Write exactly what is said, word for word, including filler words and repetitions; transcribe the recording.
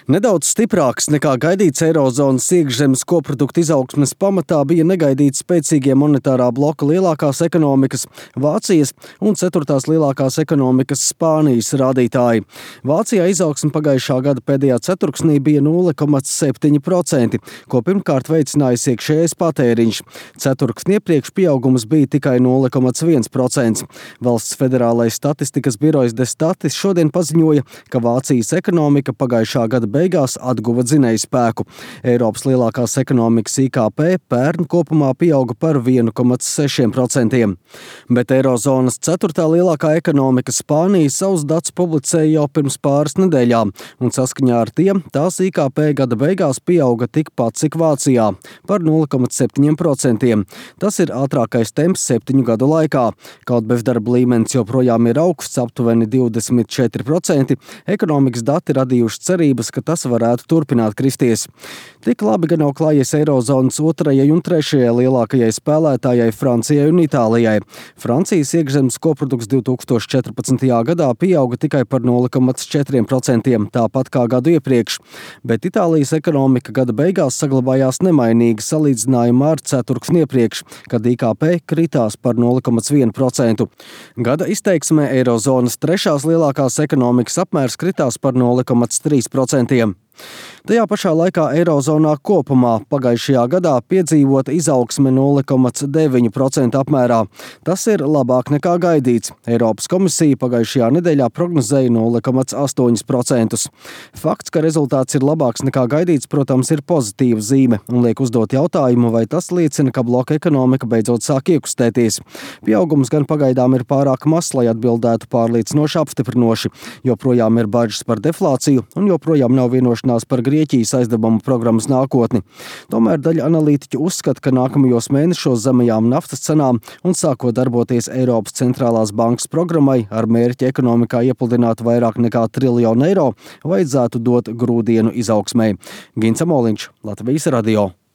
Nedaudz stiprāks nekā gaidīts eirozonas iekšzemes koprodukta izaugsmes pamatā bija negaidīti spēcīgie monetārā bloka lielākās ekonomikas Vācijas un ceturtās lielākās ekonomikas Spānijas rādītāji. Vācijā izaugsme pagājušā gada pēdējā ceturksnī bija nulle komats septiņi procenti, ko pirmkārt veicinājis iekšējais patēriņš. Ceturksni iepriekš pieaugums bija tikai nulle komats viens procents. Valsts federālais statistikas birojs Destatis šodien paziņoja, ka Vācijas ekonomika pagājušā gada beigās atguva dzinējspēku. Eiropas lielākās ekonomikas I K P pērn kopumā pieauga par vienu komats seši procenti. Bet eirozonas ceturtā lielākā ekonomika Spānija savus datus publicēja jau pirms pāris nedēļām, un saskaņā ar tiem tās I K P gada beigās pieauga tikpat, cik Vācijā, par nulle komats septiņi procenti. Tas ir ātrākais temps septiņu gadu laikā. Kaut bezdarba līmenis joprojām ir augsts, aptuveni divdesmit četri procenti, ekonomikas dati radījuši cerības, ka tas varētu turpināt kristies. Tik labi gan nav klājies eirozonas otrajai un trešajai lielākajai spēlētājai Francijai un Itālijai. Francijas iekšzemes koprodukts divi tūkstoši četrpadsmitajā gadā pieauga tikai par nulle komats četri procenti, tāpat kā gadu iepriekš, bet Itālijas ekonomika gada beigās saglabājās nemainīga salīdzinājumā ar ceturksni iepriekš, kad I K P kritās par nulle komats vienu procentu. Gada izteiksmē eirozonas trešās lielākās ekonomikas apmērs kritās par nulle komats trīs procenti. Tajā pašā laikā eirozonā kopumā pagājušajā gadā piedzīvota izaugsme nulle komats deviņi procenti apmērā. Tas ir labāk nekā gaidīts. Eiropas komisija pagājušajā nedēļā prognozēja nulle komats astoņi procenti. Fakts, ka rezultāts ir labāks nekā gaidīts, protams, ir pozitīva zīme un liek uzdot jautājumu, vai tas liecina, ka bloka ekonomika beidzot sāk iekustēties. Pieaugums gan pagaidām ir pārāk mazs, lai atbildētu pārliecinoši apstiprinoši. Joprojām ir bažas par deflāciju un joprojām nav vienošanās par Grieķijas aizdevumu programmas nākotni. Tomēr daļa analītiķu uzskata, ka nākamajos mēnešos zemajām naftas cenām un sākot darboties Eiropas centrālās bankas programmai ar mērķi ekonomikā iepludināt vairāk nekā triljonu eiro, vajadzētu dot grūdienu izaugsmei. Gins Amoliņš, Latvijas radio.